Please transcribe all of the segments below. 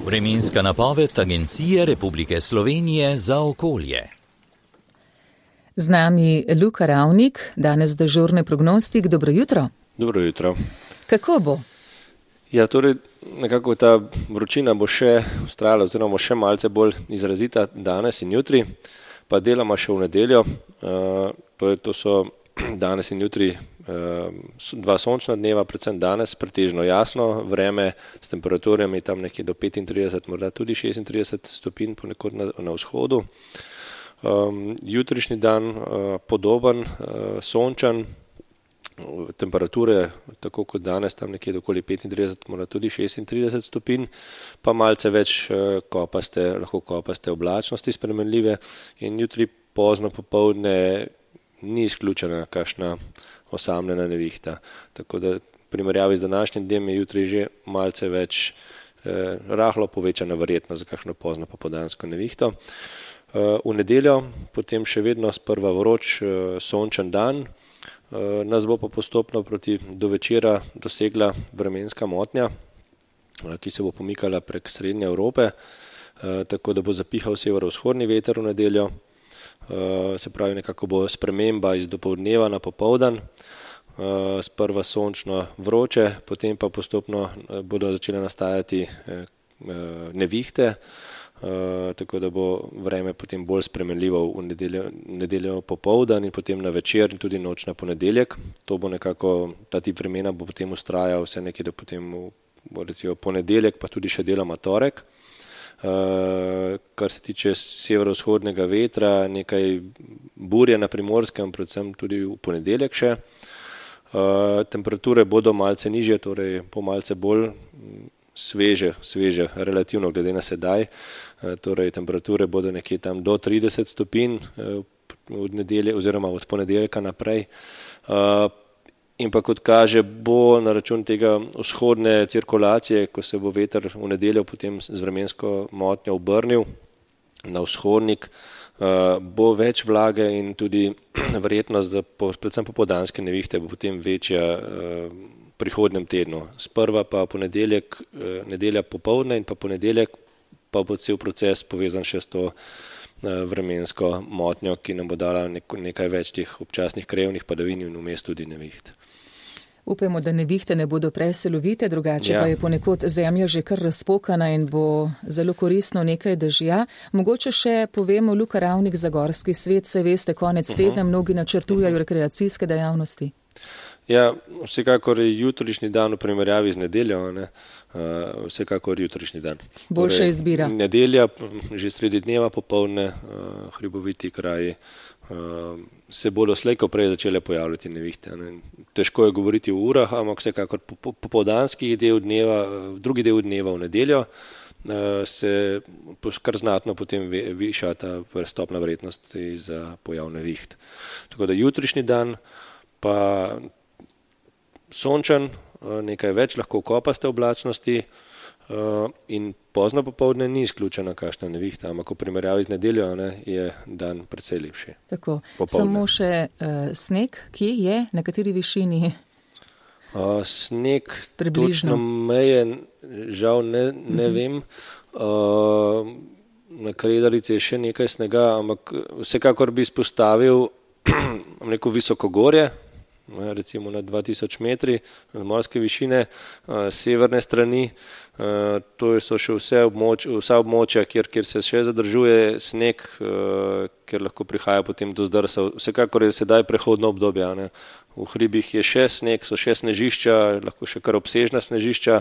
Vremenska napoved Agencije Republike Slovenije za okolje. Z nami Luka Ravnik, danes dežurni prognostik. Dobro jutro. Dobro jutro. Kako bo? Ja, torej nekako ta vročina bo še vztrajala oziroma še malce bolj izrazita danes in jutri, pa deloma še v nedeljo. To so danes in jutri dva sončna dneva, predvsem danes pretežno jasno vreme s temperaturami tam nekje do 35, morda tudi 36 stopinj ponekod na vzhodu. Jutrišnji dan podoben, sončen, temperature tako kot danes tam nekje okoli 35, morda tudi 36 stopinj, pa malce več lahko kopaste oblačnosti spremenljive in jutri pozno popoldne ni izključena kakšna osamljena nevihta. Tako da v primerjavi z današnjim dnem je jutri že malce več rahlo povečana verjetnost za kakšno pozno popoldansko nevihto. V nedeljo potem še vedno sprva vroč sončen dan, nas bo pa postopno do večera dosegla vremenska motnja, ki se bo pomikala prek srednje Evrope, tako da bo zapihal severovzhodni veter v nedeljo. Se pravi, nekako bo sprememba iz dopoldneva na popoldan, sprva sončno vroče, potem pa postopno bodo začele nastajati nevihte, tako da bo vreme potem bolj spremenljivo v nedeljo popoldan in potem na večer in tudi noč na ponedeljek. To bo nekako, ta tip vremena bo potem vztrajal vse nekje do potem recimo ponedeljek, pa tudi še deloma torek. Kar se tiče severovzhodnega vetra, nekaj burje na Primorskem, predvsem tudi v ponedeljek še. Temperature bodo malce nižje, torej po malce bolj sveže, relativno glede na sedaj. Torej temperature bodo nekje tam do 30 stopinj od nedelje oziroma od ponedeljka naprej. In pa kot kaže, bo na račun tega vzhodne cirkulacije, ko se bo veter v nedeljo potem z vremensko motnjo obrnil na vzhodnik, bo več vlage in tudi verjetnost za predvsem popoldanske nevihte bo potem večja v prihodnjem tednu. Sprva pa ponedeljek, nedelja popoldne in pa ponedeljek pa bo cel proces povezan še s to vremensko motnjo, ki nam bo dala nekaj več teh občasnih krajevnih padavin in vmes tudi neviht. Upajmo, da nevihte ne bodo preselovite, drugače pa je ponekod zemlja že kar razpokana in bo zelo koristno nekaj dežja. Mogoče še povemo, Luka Ravnik, za gorski svet, se veste, konec tedna mnogi načrtujejo rekreacijske dejavnosti. Ja, vsekakor je jutrišnji dan v primerjavi z nedeljo, vsekakor jutrišnji dan. Boljša izbira. Nedelja, že sredi dneva popoldne, hriboviti kraji, se bodo slej ko prej začele pojavljati nevihte. Težko je govoriti v urah, ampak vsekakor popoldanski drugi del dneva v nedeljo se kar znatno potem viša ta stopnja verjetnosti za pojav neviht. Tako da jutrišnji dan pa sončen, nekaj več lahko kopaste oblačnosti in pozno popoldne ni izključena kakšna nevihta, ampak v primerjavi z nedeljo je dan precej lepši. Tako, samo še sneg, kje je, na kateri višini? Sneg, približno. Točno meje, žal ne vem. Na Kredarici je še nekaj snega, ampak vsekakor bi izpostavil neko visokogorje, recimo na 2000 metri morske višine, severne strani. To so še vsa območja, kjer se še zadržuje sneg, kjer lahko prihaja potem do zdrsov. Vsekakor je sedaj prehodno obdobje. V hribih je še sneg, so še snežišča, lahko še kar obsežna snežišča,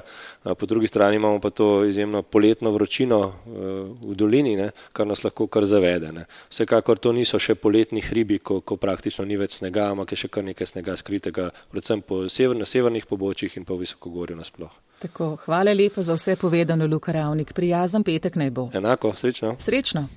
po drugi strani imamo pa to izjemno poletno vročino v dolini, kar nas lahko kar zavede. Vsekakor to niso še poletni hribi, ko praktično ni več snega, ampak je še kar nekaj snega skritega, predvsem na severnih pobočjih in pa v visokogorju nasploh. Tako, hvala lepa za vse povedano, Luka Ravnik. Prijazen petek naj bo. Enako, srečno. Srečno.